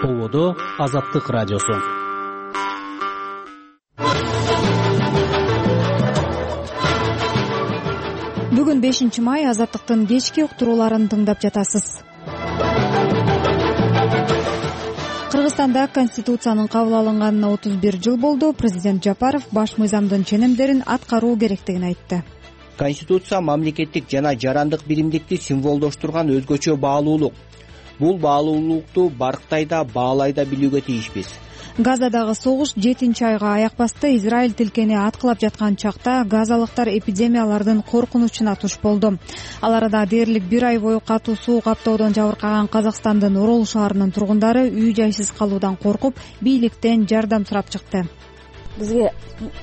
Болбодо Азаттык радиосу. Бүгүн 5-май, Азаттыктын кечки уктурууларын тыңдап жатасыз. Кыргызстанда Конституциянын кабыл алынганына 31 жыл болду. Президент Жапаров баш мыйзамдын ченемдерин аткаруу керектигин айтты. Конституция мамлекеттик жана жарандык биримдикти символдоштурган өзгөчө баалуулук. Бул баалуулукту барктайда, баалайда билүүгө тийишпиз. Газадагы согуш 7-айга аяк басты. Израиль тилкени аткылап жаткан чакта газалыктар эпидемиялардын коркунучуна туш болду. Ал арада дээрлик 1 ай бою катуу суу каптоодон жабыркаган Казакстандын Орол шаарынын тургундары үй-жайсыз калуудан коркуп, бийликтен жардам сурап чыкты. Бизге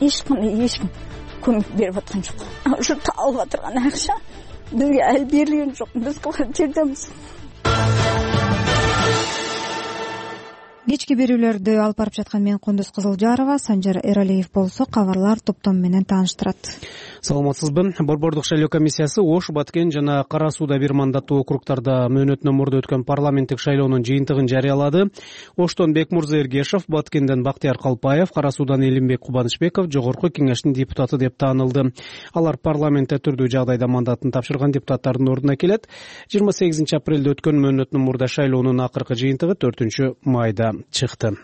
эч ким көмөк берип аткан жок. Ушу табылып атырган акча бизге ал берилген жок. Биз кылган жардамыбыз. Кечки берүүлөрдү алып барып жаткан мен Кундуз Кызылжарова, Санжар Эралиев болсо кабарлар топтому менен тааныштырат. Саламатсызбы? Борбордук шайлоо комиссиясы Ош, Баткен жана Кара Сууда бир мандаттуу округтарда мөөнөтүнөн мурда өткөн парламенттик шайлоонун жыйынтыгын жарыялады. Оштон Бекмурза Эргешов, Баткенден Бактияр Калпаев, Кара Суудан Элимбек Кубанычбеков Жогорку Кеңештин депутаты деп таанылды. Алар парламентте түрдүү жагдайда мандатын тапшырган депутаттардын ордуна келет. 28 апрелде өткөн мөөнөтүнөн мурда шайлоонун акыркы жыйынтыгы 4 майда чыкты.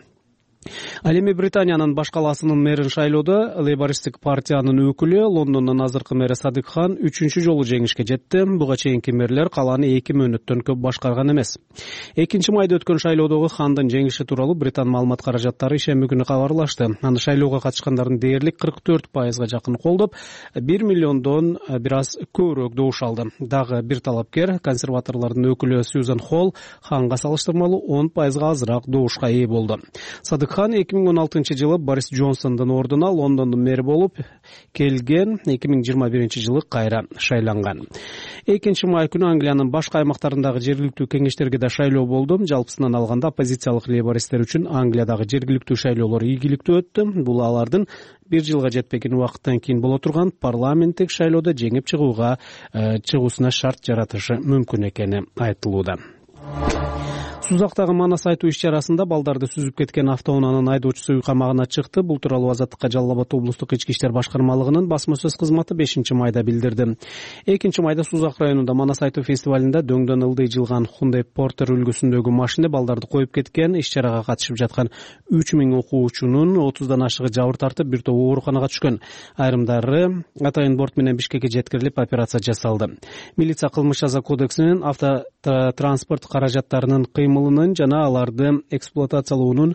Ал эми Британиянын баш калаасынын мэрин шайлоодо Лейбористтик партиянын өкүлү, Лондондун азыркы мэри Садык Хан 3-чү жолу жеңишке жетти. Буга чейинки мэрлер калааны 2 мөөнөттөн көп башкарган эмес. 2 майда өткөн шайлоодогу Хандын жеңиши тууралуу Британ маалымат каражаттары ишемби күнү кабарлашты. Аны шайлоого катышкандардын дээрлик 44%га жакын колдоп, 1 миллиондон бир аз көбүрөөк добуш алды. Дагы бир талапкер, консерваторлордун өкүлү Сьюзан Холл Ханга салыштырмалуу 10%га азыраак добушка ээ болду. Садык Хан 2016 жылы Борис Джонсондун ордуна Лондондун мэри болуп келген, 2021 жылы кайра шайланган. 2 май күнү Англиянын башка аймактарындагы жергиликтүү кеңештерге да шайлоо болду. Жалпысынан алганда оппозициялык лейбористтер үчүн Англиядагы жергиликтүү шайлоолор ийгиликтүү өттү. Бул алардын 1 жылга жетпеген убакыттан кийин боло турган парламенттик шайлоодо жеңип чыгуусуна шарт жаратышы мүмкүн экени айтылууда. Сузактагы манас айтуу иш-чарасында балдарды сүзүп кеткен автоунаанын айдоочусу үй камагына чыкты. Бул тууралуу Азаттыкка Жалал Абад облустук ички иштер башкармалыгынын басма сөз кызматы 5 майда билдирди. 2 майда Сузак районунда манас айтуу фестивалында дөңдөн ылдый жылган Hyundai Porter үлгүсүндөгү машина балдарды коюп кеткен. Иш-чарага катышып жаткан 3000 окуучунун 30дан ашыгы жабыр тартып, бир топ ооруканага түшкөн. Айрымдары атайын борт менен Бишкекке жеткирилип, операция жасалды. Милиция кылмыш жаза кодексинин автотранспорт каражаттарынын кыймылынын жана аларды эксплуатациялоонун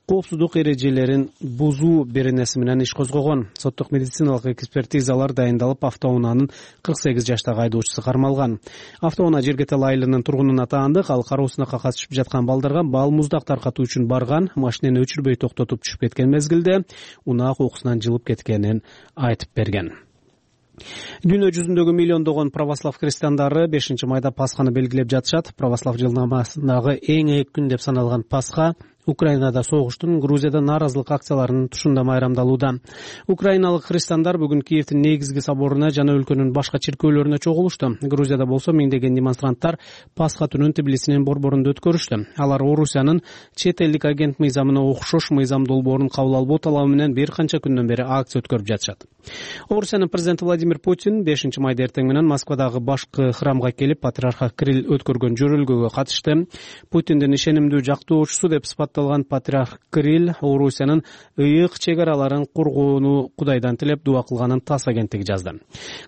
коопсуздук эрежелерин бузуу беренеси менен иш козгогон. Соттук медициналык экспертизалар дайындалып, автоунаанын 48 жаштагы айдоочусу кармалган. Автоунаа Жергетел айылынын тургунуна таандык. Ал кароо сынакка катышып жаткан балдарга бал муздак таркатуу үчүн барган. Машинени өчүрбөй токтотуп түшүп кеткен мезгилде унаа кокусунан жылып кеткенин айтып берген. Дүйнө жүзүндөгү миллиондогон православ христиандары 5 майда Пасханы белгилеп жатышат. Православ жылнамасындагы эң ийик күн деп саналган Пасха Украинада согуштун, Грузияда нааразылык акцияларынын тушунда майрамдалууда. Украиналык христиандар бүгүн Киевдин негизги соборуна жана өлкөнүн башка чиркөөлөрүнө чогулушту. Грузияда болсо миңдеген демонстранттар Пасха түнүн Тбилисинин борборунда өткөрүштү. Алар Орусиянын чет элдик агент мыйзамына окшош мыйзам долбоорун кабыл албоо талабы менен бир канча күндөн бери акция өткөрүп жатышат. Орусиянын президенти Владимир Путин 5 майда эртең менен Москвадагы башкы храмга келип, патриарх Кирилл өткөргөн жөрөлгөгө катышты. Путиндин ишенимдүү жактоочусу деп патриарх Кирилл Орусиянын ыйык чек араларын коргоону Кудайдан тилеп дуа кылганын ТАСС агенттиги жазды.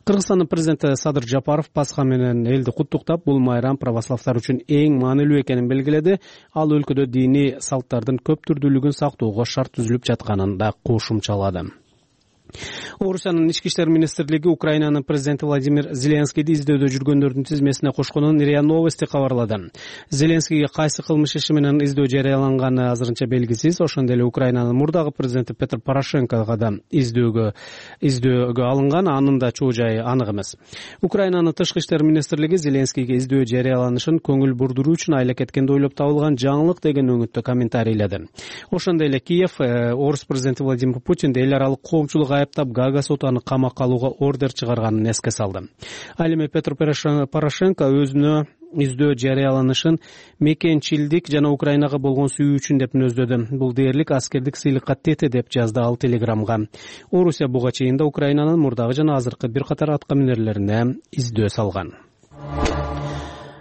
Кыргызстандын президенти Садыр Жапаров Пасха менен элди куттуктап, бул майрам православдар үчүн эң маанилүү экенин белгиледи. Ал өлкөдө диний салттардын көп түрдүүлүгүн сактоого шарт түзүлүп жатканын да кошумчалады. Орусиянын ички иштер министрлиги Украинанын президенти Владимир Зеленскийди издөөдө жүргөндөрдүн тизмесине кошконун РИА Новости кабарлады. Зеленскийге кайсы кылмыш иши менен издөө жарыяланганы азырынча белгисиз. Ошондой эле Украинанын мурдагы президенти Петр Порошенкого да издөөгө алынган, анын да чоо жайы анык эмес. Украинанын тышкы иштер министрлиги Зеленскийге издөө жарыяланышын көңүл бурдуруу үчүн айла кеткенде ойлоп табылган жаңылык деген өңүттө комментарийледи. Ошондой эле Киев орус президенти Владимир Путинди эл аралык коомчулук айыптап Гага соту аны камакка алууга ордер чыгарганын эске салды. Ал эми Петро Порошенко өзүнө издөө жарыяланышын мекенчилдик жана Украинага болгон сүйүү үчүн деп мүнөздөдү. Бул дээрлик аскердик сыйлыкка тете деп жазды ал Телеграмга. Орусия буга чейин да Украинанын мурдагы жана азыркы бир катар атка минерлерине издөө салган.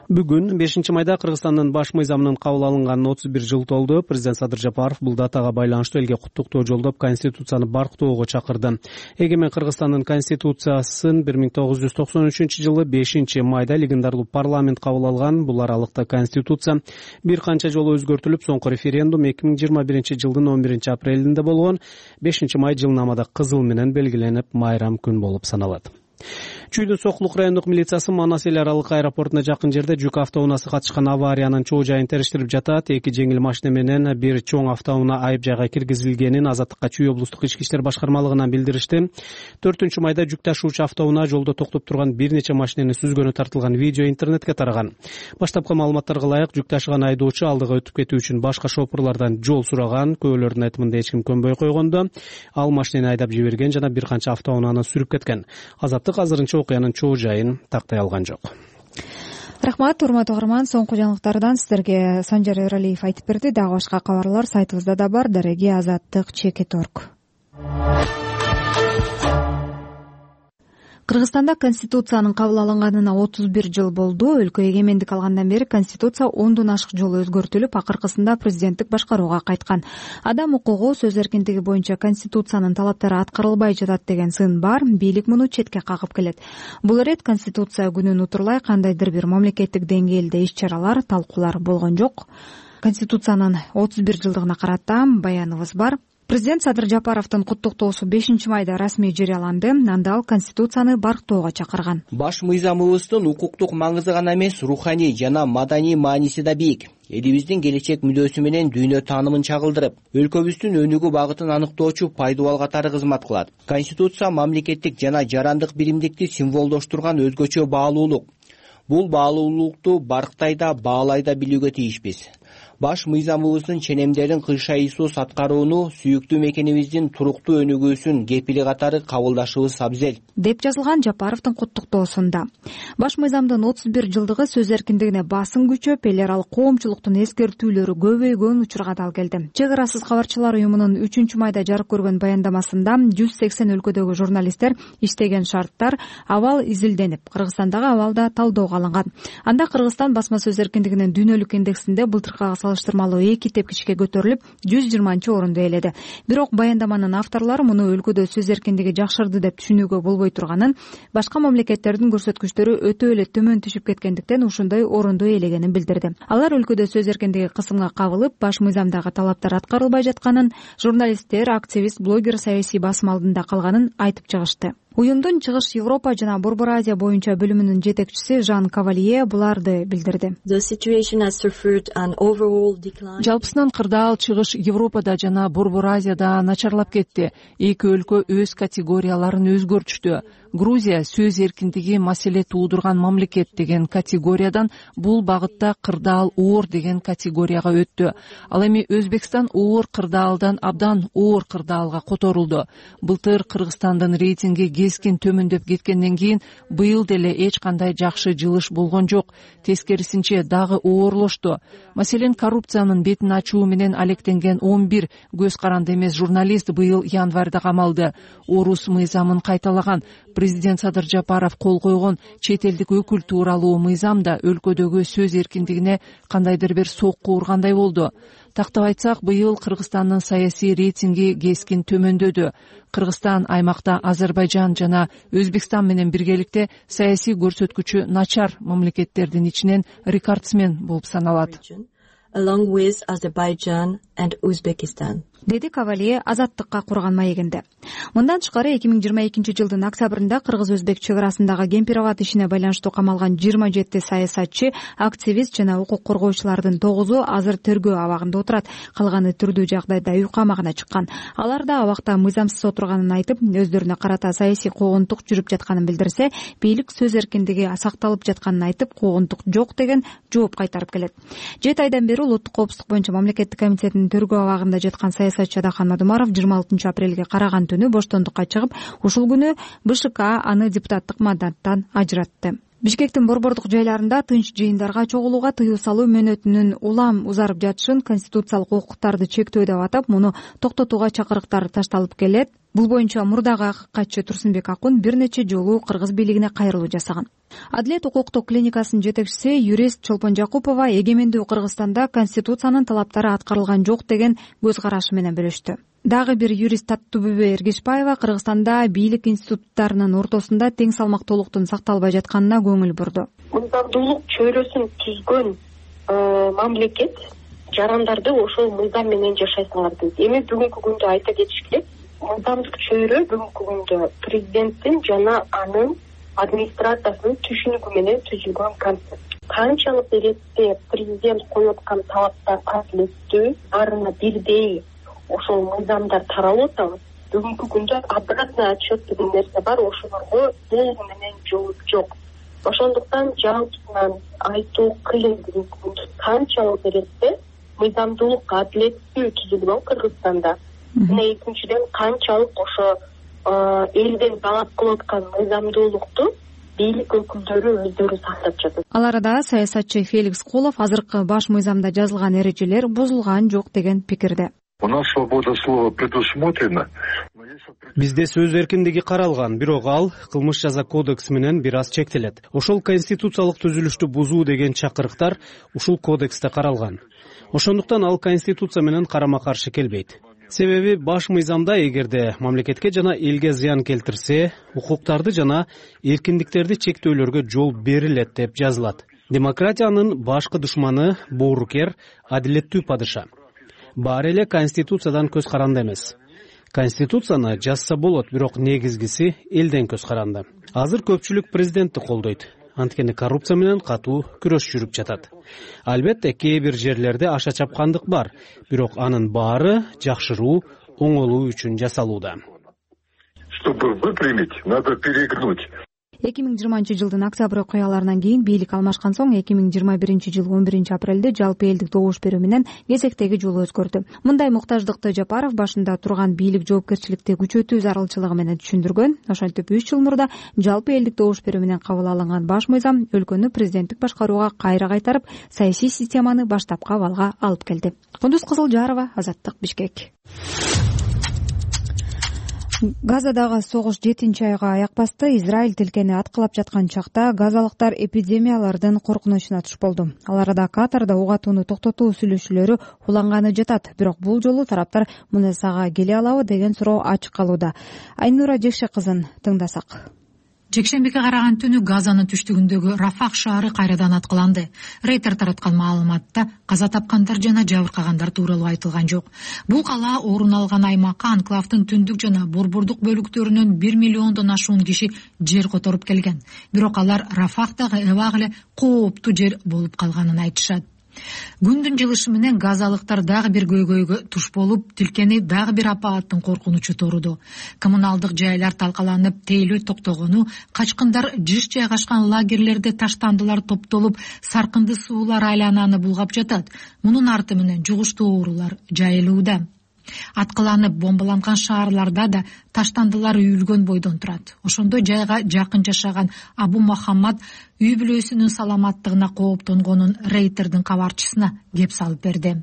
Бүгүн 5-майда Кыргызстандын баш мыйзамынын кабыл алынганына 31 жыл толду. Президент Садыр Жапаров бул датага байланыштуу элге куттуктоо жолдоп, Конституцияны барктоого чакырды. Эгемен Кыргызстандын Конституциясын 1993-жылы 5-майда легендарлуу парламент кабыл алган. Бул аралыкта Конституция бир канча жолу өзгөртүлүп, соңку референдум 2021-жылдын 11-апрелинде болгон. 5-май жылнамада кызыл менен белгиленип, майрам күн болуп саналат. Чүйдүн Сокулук райондук милициясы Манас эл аралык аэропортуна жакын жерде жүк автоунаасы катышкан авариянын чоо жайын териштирип жатат. 2 жеңил машина менен бир чоң автоунаа айып жайга киргизилгенин Азаттыкка Чүй облустук ички иштер башкармалыгынан билдиришти. 4-майда жүк ташуучу автоунаа жолдо токтоп турган бир нече машинени сүзгөнү тартылган видео интернетке тараган. Баштапкы маалыматтарга ылайык, жүк ташыган айдоочу алдыга өтүп кетүү үчүн башка шопурлардан жол сураган. Күбөлөрдүн айтымында эч ким көнбөй койгондо ал машинени айдап жиберген жана бир канча автоунааны сүрүп кеткен. Азаттык азырынча окуянын чоо жайын тактай алган жок. Рахмат, урматтуу угарман. Соңку жаңылыктардан сиздерге Санжар Эралиев айтып берди. Дагы башка кабарлар сайтыбызда да бар. Дареги azаттык.org. Кыргызстанда Конституциянын кабыл алынганына 31 жыл болду. Өлкө эгемендик алгандан бери Конституция 10дон ашык жолу өзгөртүлүп, акыркысында президенттик башкарууга кайткан. Адам укугу, сөз эркиндиги боюнча Конституциянын талаптары аткарылбай жатат деген сын бар. Бийлик муну четке кагып келет. Бул ирет Конституция күнүн утурлай кандайдыр бир мамлекеттик деңгээлде иш-чаралар, талкуулар болгон жок. Конституциянын 31 жылдыгына карата баяныбыз бар. Президент Садыр Жапаровдун куттуктоосу 5-майда расмий жарыяланды. Анда ал Конституцияны барктоого чакырган. Баш мыйзамыбыздын укуктук маңызы гана эмес, руханий жана маданий мааниси да бийик. Элибиздин келечек мүдөөсү менен дүйнө таанымын чагылдырып, өлкөбүздүн өнүгүү багытын аныктоочу пайдубал катары кызмат кылат. Конституция мамлекеттик жана жарандык биримдикти символдоштурган өзгөчө баалуулук. Бул баалуулукту барктай да, баалай да билүүгө тийишпиз. Баш мыйзамыбыздын ченемдерин кыйшайсыз аткарууну сүйүктүү мекенибиздин туруктуу өнүгүүсүн кепили катары кабылдашыбыз абзел, деп жазылган Жапаровдун куттуктоосунда. Баш мыйзамдын 31 жылдыгы сөз эркиндигине басым күчөп, эл аралык коомчулуктун эскертүүлөрү көбөйгөн учурга дал келди. Чек арасыз кабарчылар уюмунун 3-майда жарык көргөн баяндамасында 180 өлкөдөгү журналисттер иштеген шарттар абал изилденип, Кыргызстандагы абал да талоого алынган. Анда Кыргызстан басма сөз эркиндигинин дүйнөлүк индексинде былтыркыга салыштырмалуу 2 тепкичке көтөрүлүп 120-орунду ээледи. Бирок баяндаманын авторлору муну өлкөдө сөз эркиндиги жакшырды деп түшүнүүгө болбой турганын, башка мамлекеттердин көрсөткүчтөрү өтө эле төмөн түшүп кеткендиктен ушундай орунду ээлегенин билдирди. Алар өлкөдө сөз эркиндиги кысымга кабылып, баш мыйзамдагы талаптар аткарылбай жатканын, журналисттер, активист, блогер саясий басым алдында калганын айтып чыгышты. Уюмдун Чыгыш Европа жана Борбор Азия боюнча бөлүмүнүн жетекчиси Жан Кавалье буларды билдирди. Жалпысынан кырдаал Чыгыш Европада жана Борбор Азияда начарлап кетти. Эки өлкө өз категорияларын өзгөртүштү. Грузия сөз эркиндиги маселе туудурган мамлекет деген категориядан бул багытта кырдаал оор деген категорияга өттү. Ал эми Өзбекстан оор кырдаалдан абдан оор кырдаалга которулду. Былтыр Кыргызстандын рейтинги кескин төмөндөп кеткенден кийин быйыл деле эч кандай жакшы жылыш болгон жок. Тескерисинче дагы оорлошту. Маселен, коррупциянын бетин ачуу менен алектенген 11 көз каранды эмес журналист быйыл январда камалды. Орус мыйзамын кайталаган президент Садыр Жапаров кол койгон чет элдик өкүл тууралуу мыйзам да өлкөдөгү сөз эркиндигине кандайдыр бир сокку ургандай болду. Тактап айтсак, быйыл Кыргызстандын саясий рейтинги кескин төмөндөдү. Кыргызстан аймакта Азербайжан жана Өзбекстан менен биргеликте саясий көрсөткүчү начар мамлекеттердин ичинен рекордсмен болуп саналат. Along with Azerbaijan and Uzbekistan. Деди Кавалие Азаттыкка курган маегинде. Мындан тышкары 2022 жылдын октябрында Кыргыз-Өзбек чек арасындагы Кемпирабад ишине байланыштуу камалган 27 саясатчы, активист жана укук коргоочулардын 9-у азыр тергөө абагында отурат. Калганы түрдүү жагдайда үй камагына чыккан. Алар да абакта мыйзамсыз отурганын айтып, өздөрүнө карата саясий куугунтук жүрүп жатканын билдирсе, бийлик сөз эркиндиги сакталып жатканын айтып, куугунтук жок деген жооп кайтарып келет. 7 айдан бери улуттук коопсуздук боюнча мамлекеттик комитетинин тергөө абагында жаткан саясатчы Адахан Мадумаров 26 апрелге караган түнү боштондукка чыгып, ушул күнү БШК аны депутаттык мандаттан ажыратты. Бишкектин борбордук жайларында тынч жыйындарга чогулууга тыюу салуу мөөнөтүнүн улам узарып жатышын конституциялык укуктарды чектөө деп атап, муну токтотууга чакырыктар ташталып келет. Бул боюнча мурдагы катчы Турсунбек Акун бир нече жолу кыргыз бийлигине кайрылуу жасаган. Адилет укуктук клиникасынын жетекчиси юрист Чолпон Жакупова эгемендүү Кыргызстанда конституциянын талаптары аткарылган жок деген көз карашы менен бөлүштү. Дагы бир юрист Таттыбүбө Эргешбаева Кыргызстанда бийлик институттарынын ортосунда тең салмактуулуктун сакталбай жатканына көңүл бурду. Мыйзамдуулук чөйрөсүн түзгөн мамлекет жарандарды ошол мыйзам менен жашайсыңар дейт. Эми бүгүнкү күндө айта кетиш керек, мыйзамдык чөйрө бүгүнкү күндө президенттин жана анын администрациясынын түшүнүгү менен түзүлгөн концепт. Канчалык иретте президент коюп аткан талаптар адилеттүү, баарына бирдей ошол мыйзамдар таралып атабы, бүгүнкү күндө обратный отчет деген нерсе бар, ошолорго толугу менен жооп жок. Ошондуктан жалпысынан айтуу кыйын бүгүнкү күндө канчалык иретте мыйзамдуулук адилеттүү түзүлгөн Кыргызстанда. Мына экинчиден канчалык ошо элден талап кылып аткан мыйзамдуулукту бийлик өкүлдөрү өздөрү сактап жатат. Ал арада саясатчы Феликс Кулов азыркы баш мыйзамда жазылган эрежелер бузулган жок деген пикирде. У нас свобода слова предусмотрена. Бизде сөз эркиндиги каралган, бирок ал кылмыш жаза кодекси менен бир аз чектелет. Ошол конституциялык түзүлүштү бузуу деген чакырыктар ушул кодексте каралган. Ошондуктан ал конституция менен карама каршы келбейт. Себеби баш мыйзамда эгерде мамлекетке жана элге зыян келтирсе, укуктарды жана эркиндиктерди чектөөлөргө жол берилет деп жазылат. Демократиянын башкы душманы боорукер, адилеттүү падыша. Баары эле конституциядан көз каранды эмес. Конституцияны жазса болот, бирок негизгиси элден көз каранды. Азыр көпчүлүк президентти колдойт. Анткени коррупция менен катуу күрөш жүрүп жатат. Албетте кээ бир жерлерде аша чапкандык бар, бирок анын баары жакшыруу, оңолуу үчүн жасалууда. Чтобы выпрямить, надо перегнуть. 2020-жылдын октябрь окуяларынан кийин бийлик алмашкан соң 2021-жыл 11 апрелде жалпы элдик добуш берүү менен кезектеги жол өзгөрдү. Мындай муктаждыкты Жапаров башында турган бийлик жоопкерчиликти күчөтүү зарылчылыгы менен түшүндүргөн. Ошентип 3 жыл мурда жалпы элдик добуш берүү менен кабыл алынган баш мыйзам өлкөнү президенттик башкарууга кайра кайтарып, саясий системаны баштапкы абалга алып келди. Кундуз Кызылжарова, Азаттык, Бишкек. Газадагы согуш 7-айга аяк басты. Израиль тилкени аткылап жаткан чакта газалыктар эпидемиялардын коркунучуна туш болду. Ал арада Катарда ок атууну токтотуу сүйлөшүүлөрү уланганы жатат. Бирок бул жолу тараптар мунасага келе алабы деген суроо ачык калууда. Айнура Жекше кызын тыңдасак. Жекшембиге караган түнү Газанын түштүгүндөгү Рафах шаары кайрадан аткыланды. Рейтер тараткан маалыматта каза тапкандар жана жабыркагандар тууралуу айтылган жок. Бул кала орун алган аймакка анклавдын түндүк жана борбордук бөлүктөрүнөн 1 миллиондон ашуун киши жер которуп келген. Бирок алар Рафахтагы эбак эле кооптуу жер болуп калганын айтышат. Күндүн жылышы менен газалыктар дагы бир көйгөйгө туш болуп, тилкени дагы бир апааттын коркунучу торуду. Коммуналдык жайлар талкаланып, тейлөө токтогону, качкындар жыш жайгашкан лагерлерде таштандылар топтолуп, саркынды суулар айлананы булгап жатат. Мунун арты менен жугуштуу оорулар жайылууда. Аткыланып бомбаланган шаарларда да таштандылар үйүлгөн бойдон турат. Ошондой жайга жакын жашаган Абу Мухаммад үй бүлөсүнүн саламаттыгына кооптонгонун Рейтердин кабарчысына кеп салып берди.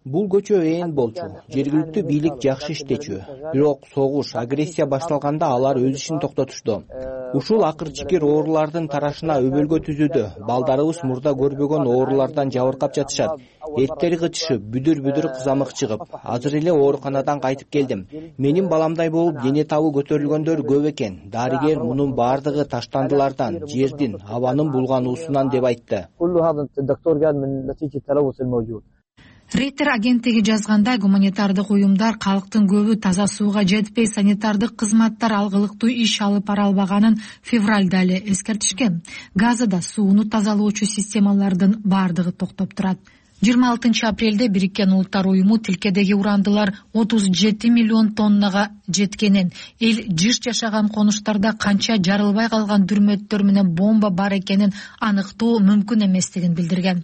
Бул көчө ээн болчу. Жергиликтүү бийлик жакшы иштечү. Бирок согуш, агрессия башталганда алар өз ишин токтотушту. Ушул акыр-чикир оорулардын тарашына өбөлгө түзүүдө. Балдарыбыз мурда көрбөгөн оорулардан жабыркап жатышат. Эттери кычышып, бүдүр-бүдүр кызамык чыгып, азыр эле ооруканадан кайтып келдим. Менин баламдай болуп дене табы көтөрүлгөндөр көп экен. Дарыгер мунун баардыгы таштандылардан, жердин, абанын булгануусунан деп айтты. Рейтер агенттиги жазгандай, гуманитардык уюмдар калктын көбү таза сууга жетпей, санитардык кызматтар алгылыктуу иш алып бара албаганын февралда эле эскертишкен. Газада сууну тазалоочу системалардын баардыгы токтоп турат. 26 апрелде Бириккен Улуттар уюму тилкедеги урандылар 37 миллион тоннага жеткенин, эл жыш жашаган конуштарда канча жарылбай калган дүрмөттөр менен бомба бар экенин аныктоо мүмкүн эместигин билдирген.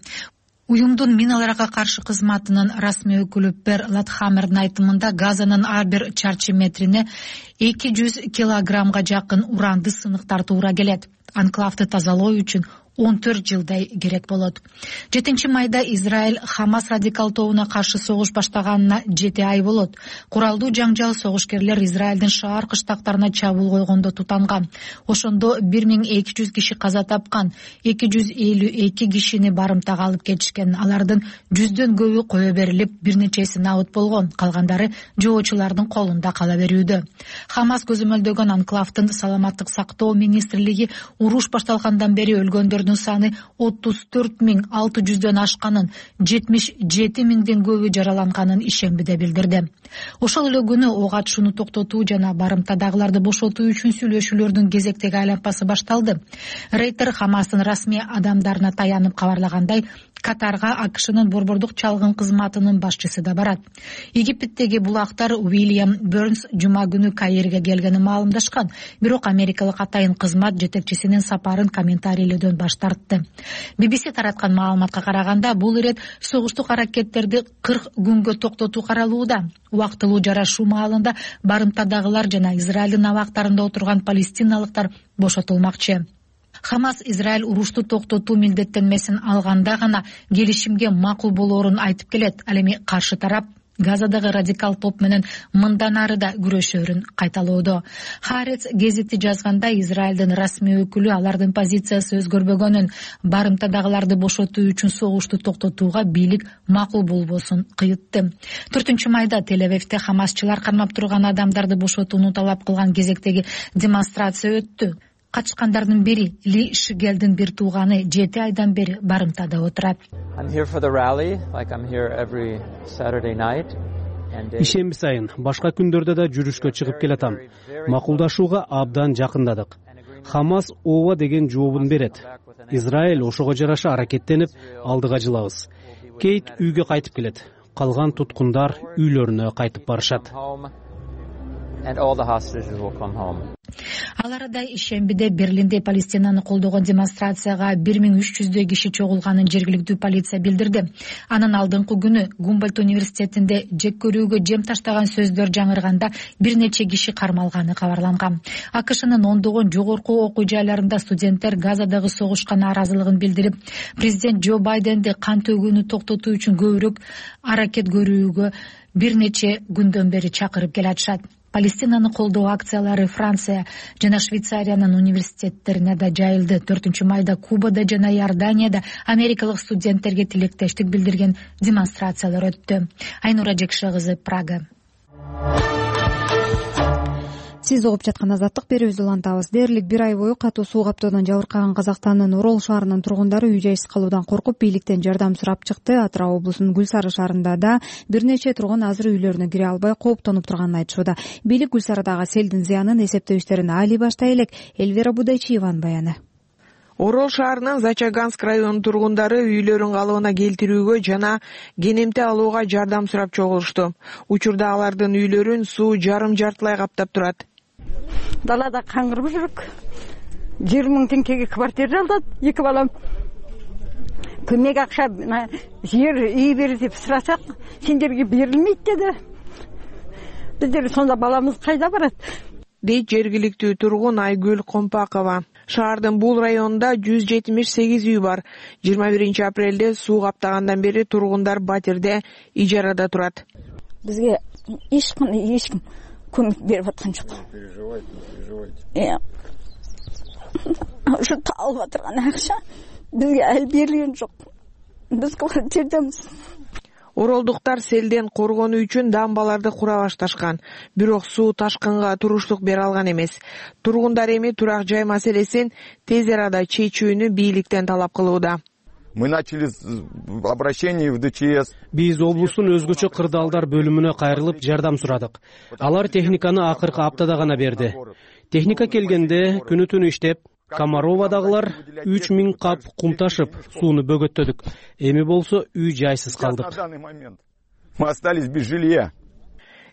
Уюмдун миналарга каршы кызматынын расмий өкүлү Пер Латхаммердин айтымында Газанын ар бир чарчы метрине 200 килограммга жакын уранды сыныктар туура келет. Анклавды тазалоо үчүн 14 жылдай керек болот. 7-майда Израиль Хамас радикал тобуна каршы согуш баштаганына 7 ай болот. Куралдуу жаңжал согушкерлер Израилдин шаар кыштактарына чабуул койгондо тутанган. Ошондо 1200 киши каза тапкан, 252 кишини барымтага алып кетишкен. Алардын 100дөн көбү кое берилип, бир нечеси набыт болгон, калгандары жоочулардын колунда кала берүүдө. Хамас көзөмөлдөгөн анклавдын саламаттык сактоо министрлиги уруш башталгандан бери өлгөндөрдүн саны 34.600дөн ашканын, 77.000ден көбү жараланганын ишембиде билдирди. Ошол эле күнү ок атышууну токтотуу жана барымтадагыларды бошотуу үчүн сүйлөшүүлөрдүн кезектеги айланпасы башталды. Рейтер Хамастын расмий адамдарына таянып кабарлагандай, Катарга АКШнын борбордук чалгын кызматынын башчысы да барат. Египеттеги булактар Уильям Бернс жума күнү Каирге келгенин маалымдашкан, бирок америкалык атайын кызмат жетекчисинин сапарын комментарийлөөдөн баш тартты. BBC тараткан маалыматка караганда, бул ирет согуштук аракеттерди 40 күнгө токтотуу каралууда. Убактылуу жарашуу маалында барымтадагылар жана Израилдин абактарында отурган палестиналыктар бошотулмакчы. Хамас Израиль урушту токтотуу милдеттенмесин алганда гана келишимге макул болоорун айтып келет. Ал эми каршы тарап Газадагы радикал топ менен мындан ары да күрөшөөрүн кайталоодо. Харец гезити жазганда, Израилдин расмий өкүлү алардын позициясы өзгөрбөгөнүн, барымтадагыларды бошотуу үчүн согушту токтотууга бийлик макул болбосун кыйытты. 4-майда Тель-Авивде хамасчылар кармап турган адамдарды бошотууну талап кылган кезектеги демонстрация өттү. Качкандардын бири Ли Шигелдин бир тууганы 7 айдан бери барымтада отурат. Ишемби сайын башка күндөрдө да жүрүшкө чыгып келатам. Макулдашууга абдан жакындадык. Хамас ооба деген жообун берет. Израиль ошого жараша аракеттенип, алдыга жылабыз. Кейт үйгө кайтып келет. Калган туткундар үйлөрүнө кайтып барышат. Ал арада ишембиде Берлинде Палестинаны колдогон демонстрацияга 1300 киши чогулганын жергиликтүү полиция билдирди. Анын алдыңкы күнү Гумбольдт университетинде жек көрүүгө жем таштаган сөздөр жаңырганда бир нече киши кармалганы кабарланган. АКШнын ондогон жогорку окуу жайларында студенттер Газадагы согушка нааразылыгын билдирип, президент Джо Байденди кан төгүүнү токтотуу үчүн көбүрөөк аракет көрүүгө бир нече күндөн бери чакырып келатышат. Палестинаны колдоо акциялары Франция жана Швейцариянын университеттерине да жайылды. 4-майда Кубада жана Иорданияда америкалык студенттерге тилектештик билдирген демонстрациялар өттү. Айнура Жекше кызы, Прага. Сиз угуп жаткан азаттык берүүбүздү улантабыз. Дээрлик бир ай бою катуу суу каптоодон жабыркаган Казакстандын Орол шаарынын тургундары үй жайсыз калуудан коркуп, бийликтен жардам сурап чыкты. Атырау облусунун Гүл Сары шаарында да бир нече тургун азыр үйлөрүнө кире албай кооптонуп турганын айтышууда. Бийлик Гүл Сарыдагы селдин зыянын эсептөө иштерин али баштай элек. Эльвира Будайчиеванын баяны. Орол шаарынын Зачаганск районунун тургундары үйлөрүн калыбына келтирүүгө жана кенемте алууга жардам сурап чогулушту. Учурда алардын үйлөрүн суу жарым-жартылай каптап турат. Далада каңгырып жүрүк. 20 000 теңгеге квартира жалдап, 2 балам. Көмөк акча, жер үй бер деп сурасак, сендерге берилмейт деди. Биздер сонда баламыз кайда барат? Дейт жергиликтүү тургун Айгүл Компакова. Шаардын бул районунда 178 үй бар. 21 апрелде суу каптагандан бери тургундар батирде ижарада турат. Бизге эч ким көмөк берип аткан жок. Ушу алып атырган акча бизге ал берилген жок. Биз кылган жердемиз. Оролдуктар селден коргонуу үчүн дамбаларды кура башташкан, бирок суу ташкынга туруштук бере алган эмес. Тургундар эми турак жай маселесин тез арада чечүүнү бийликтен талап кылууда. Мы начали обращение в ДЧС. Биз облустун өзгөчө кырдаалдар бөлүмүнө кайрылып жардам сурадык. Алар техниканы акыркы аптада гана берди. Техника келгенде күнү-түнү иштеп, Комаровадагылар 3000 кап кум ташып, сууну бөгөттөдүк. Эми болсо үй жайсыз калдык. Мы остались без жилья.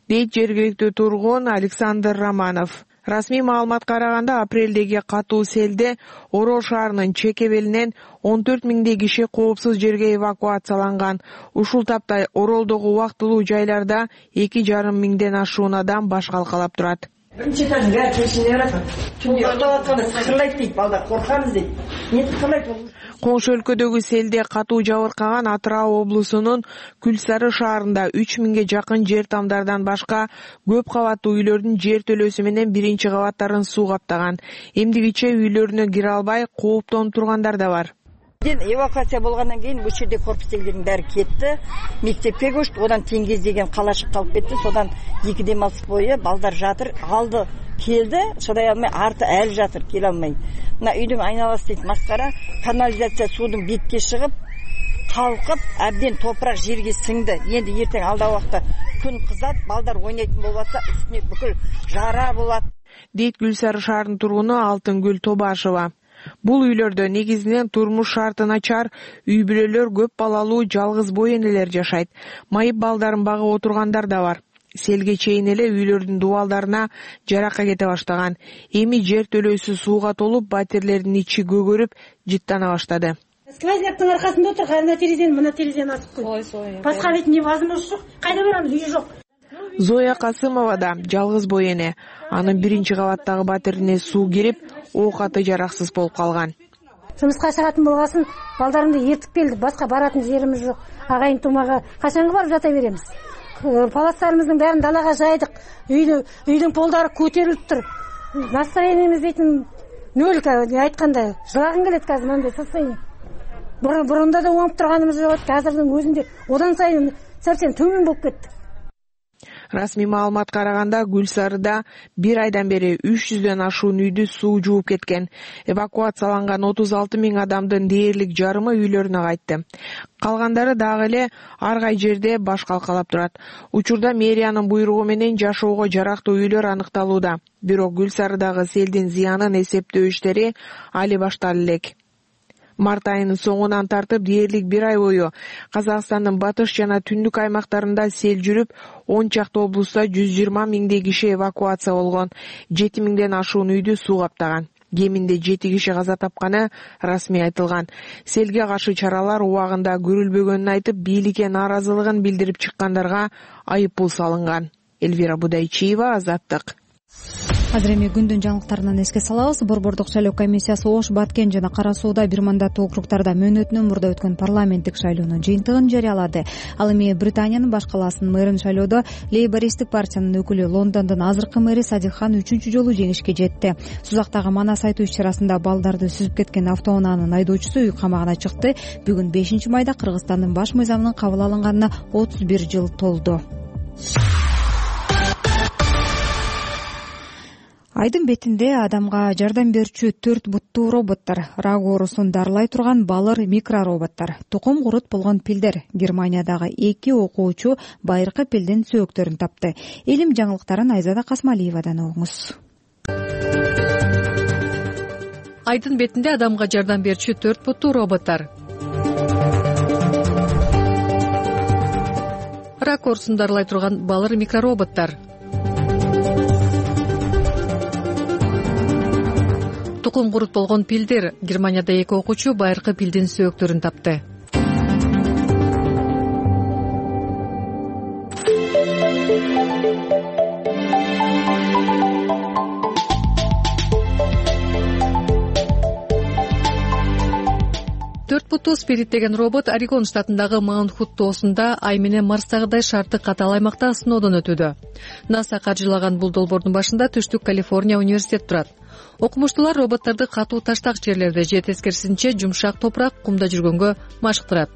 Дейт жергиликтүү тургун Александр Романов. Расмий маалыматка караганда апрелдеги катуу селде Орол шаарынын чекебелинен 14 миңдей киши коопсуз жерге эвакуацияланган. Ушул тапта Оролдогу убактылуу жайларда 2,5 миңден ашуун адам баш калкалап турат. Биринчи этаждын баары чечиле барат. Чүнки уктап атканда сыкырлайт дейт балдар, коркамыз дейт. Эмне сыкырлайт болду? Коңшу өлкөдөгү селде катуу жабыркаган Атырау облусунун Күлсары шаарында 3 миңге жакын жер тамдардан башка көп кабаттуу үйлөрдүн жер төлөөсү менен биринчи кабаттарын суу каптаган. Эмдигиче үйлөрүнө кире албай кооптонуп тургандар да бар. Эвакуация болгондон кийин бул жерде корпустегилердин баары кетти. Мектепке көчтү, одан Теңгез деген калашык калып кетти. Содан 2 демалыс бою балдар жатыр. Алды келди, шыдай алмай, арты әлі жатыр, келе алмай. Мына үйдүн айналасы дейт маскара, канализация суудун бетке чыгып, калкып, абден топурак жерге сиңди. Энди эртең алда убакта күн кызат, балдар ойнайтын болуп атса, үстүнө бүкүл жара болот. Дейт Күлсары шаарынын тургуну Алтынгүл Тобашева. Бул үйлөрдө негизинен турмуш шарты начар үй бүлөлөр, көп балалуу жалгыз бой энелер жашайт. Майып балдарын багып отургандар да бар. Селге чейин эле үйлөрдүн дубалдарына жарака кете баштаган. Эми жер төлөөсү сууга толуп, батирлердин ичи көгөрүп, жыттана баштады. Сквозняктын аркасында отуруп, ана терезени, мына терезени ачып койду. Башка бет невозможно жок. Кайда барамыз, үй жок. Зоя Касымова да жалгыз бой эне. Анын биринчи кабаттагы батирине суу кирип, оокаты жараксыз болуп калган. Жумушка чыгатын болгосын, балдарымды ертип келди. Башка баратын жерimiz жок. Агайын тумага качанга барып жата беребиз? Паластарымыздын баарын далага жайдык. Үйдүн полдары көтөрүлүп тур. Настроениябыз дейтин нөл, айтканда жылагым келет азыр мындай состояние. Бурунда да оңуп турганыбыз жок, азырдын өзүндө одан сайын совсем төмөн болуп кетти. Расмий маалыматка караганда Күлсарыда 1 айдан бери 300дөн ашуун үйдү суу жууп кеткен. Эвакуацияланган 36 миң адамдын дээрлик жарымы үйлөрүнө кайтты. Калгандары дагы эле ар кай жерде баш калкалап турат. Учурда мэриянын буйругу менен жашоого жарактуу үйлөр аныкталууда. Бирок Күлсарыдагы селдин зыянын эсептөө иштери али башталып элек. Март айынын соңунан тартып дээрлик 1 ай бою Казакстандын батыш жана түндүк аймактарында сел жүрүп, 10 чакты облуста 120 миңдей киши эвакуация болгон. 7 миңден ашуун үйдү суу каптаган. Кеминде 7 киши каза тапканы расмий айтылган. Селге каршы чаралар убагында көрүлбөгөнүн айтып, бийликке нааразылыгын билдирип чыккандарга айып пул салынган. Элвира Будайчиева, Азаттык. Азыр эми күндүн жаңылыктарынан эске салабыз. Борбордук шайлоо комиссиясы Ош, Баткен жана Кара Сууда бир мандаттуу округдарда мөөнөтүнөн мурда өткөн парламенттик шайлоонун жыйынтыгын жарыялады. Ал эми Британиянын баш калаасынын мэрин шайлоодо лейбористтик партиянын өкүлү Лондондун азыркы мэри Садик Хан 3-чү жолу жеңишке жетти. Сузактагы манас айтуу иш-чарасында балдарды сүзүп кеткен автоунаанын айдоочусу үй камагына чыкты. Бүгүн 5-майда Кыргызстандын баш мыйзамынын кабыл алынганына 31 жыл толду. Айдын бетинде адамга жардам берүүчү 4 буттуу роботтор, рак оорусун дарылай турган балыр микророботтор, тукум курут болгон пилдер. Германиядагы 2 окуучу байыркы пилдин сөөктөрүн тапты. Илим жаңылыктарын Айзада Касмалиевадан угуңуз. Айдын бетинде адамга жардам берүүчү 4 буттуу роботтор. Рак оорусун дарылай турган балыр микророботтор. Тукум курут болгон пилдер. Германияда 2 окуучу байыркы пилдин сөөктөрүн тапты. Төрт буттуу Спирит деген робот Орегон штатындагы Маунт-Худ тоосунда Ай менен Марстагыдай шарттык катал аймакта сыноодон өтүүдө. НАСА каржылаган бул долбоордун башында Түштүк Калифорния университети турат. Окумуштуулар роботторду катуу таштак жерлерде же тескерисинче жумшак топурак, кумда жүргөнгө машыктырат.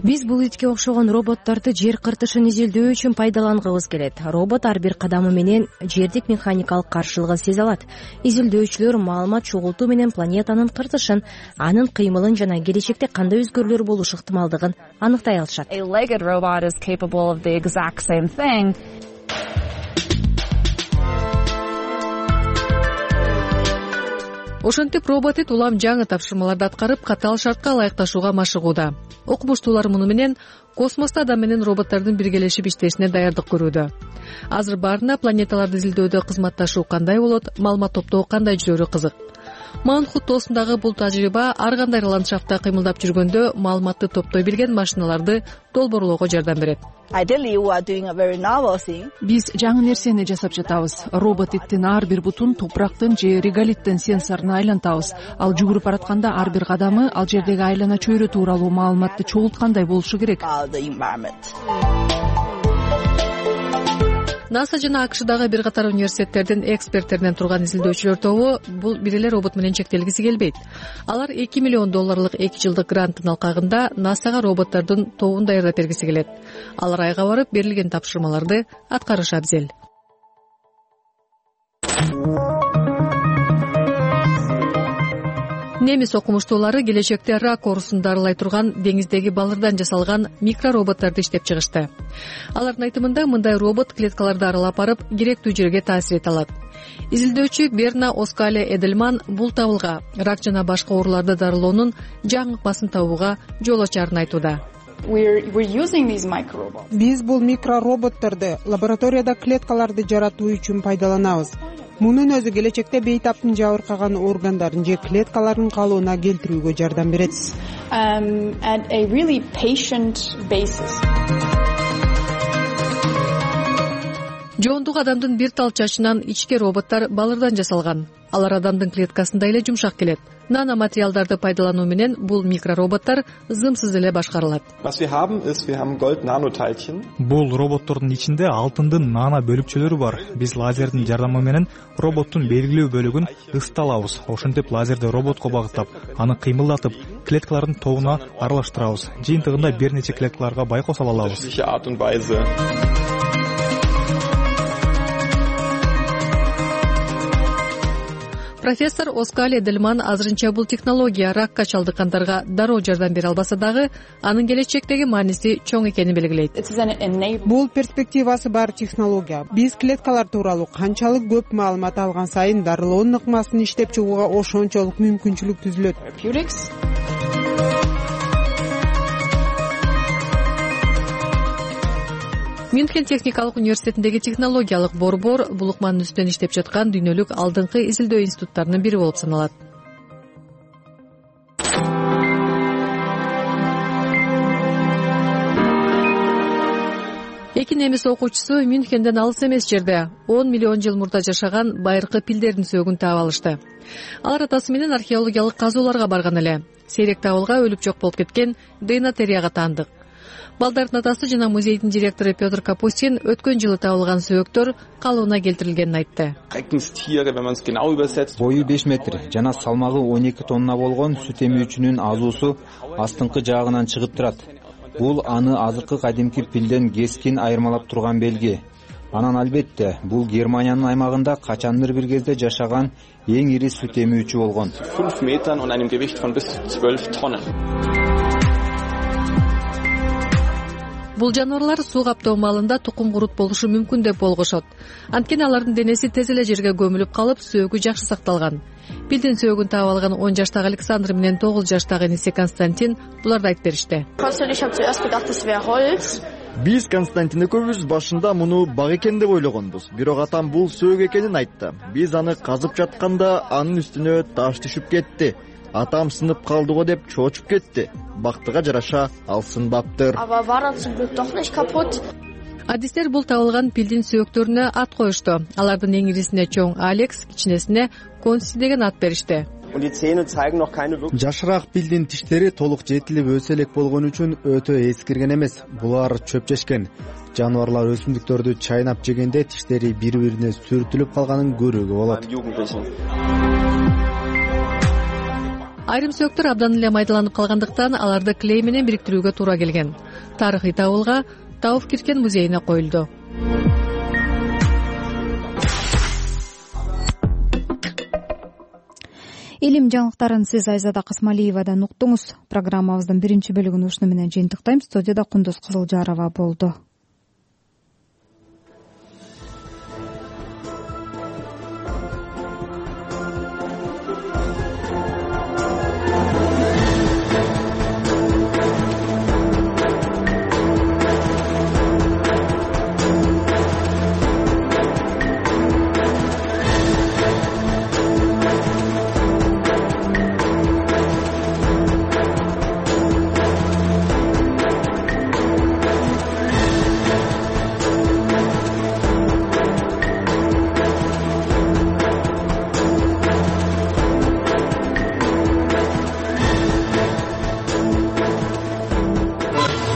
Биз бул итке окшогон роботторду жер кыртышын изилдөө үчүн пайдалангыбыз келет. Робот ар бир кадамы менен жердик механикалык каршылыгын сезе алат. Изилдөөчүлөр маалымат чогултуу менен планетанын кыртышын, анын кыймылын жана келечекте кандай өзгөрүүлөр болушу ыктымалдыгын аныктай алышат. Ошентип робот улам жаңы тапшырмаларды аткарып, катаал шартка ылайыкташууга машыгууда. Окумуштуулар муну менен космосту адам менен роботтордун биргелешип иштешине даярдык көрүүдө. Азыр баарына планеталарды изилдөөдө кызматташуу кандай болот, маалымат топтоо кандай жүрөрү кызык. Маунхут тоосундагы бул тажрыйба ар кандай ландшафтта кыймылдап жүргөндө маалыматты топтой билген машиналарды долбоорлоого жардам берет. Биз жаңы нерсени жасап жатабыз. Робот иттин ар бир бутун топурактын же реголиттин сенсоруна айлантабыз. Ал жүгүрүп баратканда ар бир кадамы ал жердеги айлана чөйрө тууралуу маалыматты чогулткандай болушу керек. НАСА жана АКШдагы бир катар университеттердин эксперттеринен турган изилдөөчүлөр тобу бул бир эле робот менен чектелгиси келбейт. Алар $2 миллион 2 жылдык гранттын алкагында НАСАга роботтордун тобун даярдап бергиси келет. Алар айга барып берилген тапшырмаларды аткарышы абзел. Немис окумуштуулары келечекте рак оорусун дарылай турган деңиздеги балырдан жасалган микророботторду иштеп чыгышты. Алардын айтымында мындай робот клеткаларды аралап барып, керектүү жерге таасир эте алат. Изилдөөчү Берна Оскале Эдельман бул табылга рак жана башка ооруларды дарылоонун жаңы ыкмасын табууга жол ачарын айтууда. Биз бул микророботторду лабораторияда клеткаларды жаратуу үчүн пайдаланабыз. Мунун өзү келечекте бейтаптын жабыркаган органдарын же клеткаларын калыбына келтирүүгө жардам берет. Жоондук адамдын бир тал чачынан ичке роботтор балырдан жасалган. Алар адамдын клеткасында эле жумшак келет. Нано материалдарды пайдалануу менен бул микророботтор зымсыз эле башкарылат. Бул роботтордун ичинде алтындын нано бөлүкчөлөрү бар. Биз лазердин жардамы менен роботтун белгилүү бөлүгүн ысыта алабыз. Ошентип лазерди роботко багыттап, аны кыймылдатып, клеткалардын тобуна аралаштырабыз. Жыйынтыгында бир нече клеткаларга байкош ала алабыз. Профессор Оскале Эдельман азырынча бул технология ракка чалдыккандарга дароо жардам бере албаса дагы, анын келечектеги мааниси чоң экенин белгилейт. Бул перспективасы бар технология. Биз клеткалар тууралуу канчалык көп маалымат алган сайын дарылоонун ыкмасын иштеп чыгууга ошончолук мүмкүнчүлүк түзүлөт. Мюнхен техникалык университетиндеги технологиялык борбор бул ыкманын үстүнөн иштеп жаткан дүйнөлүк алдыңкы изилдөө институттарынын бири болуп саналат. Эки немис окуучусу Мюнхенден алыс эмес жерде 10 миллион жыл мурда жашаган байыркы пилдердин сөөгүн таап алышты. Алар атасы менен археологиялык казууларга барган эле. Сейрек табылга өлүп жок болуп кеткен Дейнотерияга таандык. Балдардын атасы жана музейдин директору Петр Капустин өткөн жылы табылган сөөктөр калыбына келтирилгенин айтты. Бою 5 метр жана салмагы 12 тонна болгон сүт эмүүчүнүн азуусу астыңкы жаагынан чыгып турат. Бул аны азыркы кадимки пилден кескин айырмалап турган белги. Анан албетте, бул Германиянын аймагында качандыр бир кезде жашаган эң ири сүт эмүүчү болгон. 5 метр und einem Gewicht von bis zu 12 Tonnen. Бул жаныбарлар суу каптоо маалында тукум курут болушу мүмкүн деп болгошот. Анткени алардын денеси тез эле жерге көмүлүп калып, сөөгү жакшы сакталган. Пилдин сөөгүн таап алган 10 жаштагы Александр менен 9 жаштагы иниси Константин буларды айтып беришти. Биз Константин экөөбүз башында муну баг экен деп ойлогонбуз. Бирок атам бул сөөгү экенин айтты. Биз аны казып жатканда анын үстүнө таш түшүп кетти. Атам сынып калды го деп чоочуп кетти. Бактыга жараша ал сынбаптыр. Адистер бул табылган пилдин сөөктөрүнө ат коюшту. Алардын эң ирисине чоң Алекс, кичинесине Конси деген ат беришти. Жашыраак пилдин тиштери толук жетилип өсө элек болгон үчүн өтө эскирген эмес. Булар чөп жешкен. Жаныбарлар өсүмдүктөрдү чайнап жегенде тиштери бири-бирине сүртүлүп калганын көрүүгө болот. Айрым сөөктөр абдан эле майдаланып калгандыктан аларды клей менен бириктирүүгө туура келген. Тарыхый табылга Тауфкиркен музейине коюлду. Илим жаңылыктарын сиз Айзада Касмалиевадан уктуңуз. Программабыздын биринчи бөлүгүн ушуну менен жыйынтыктайм. Студияда Кундуз Кызылжарова болду.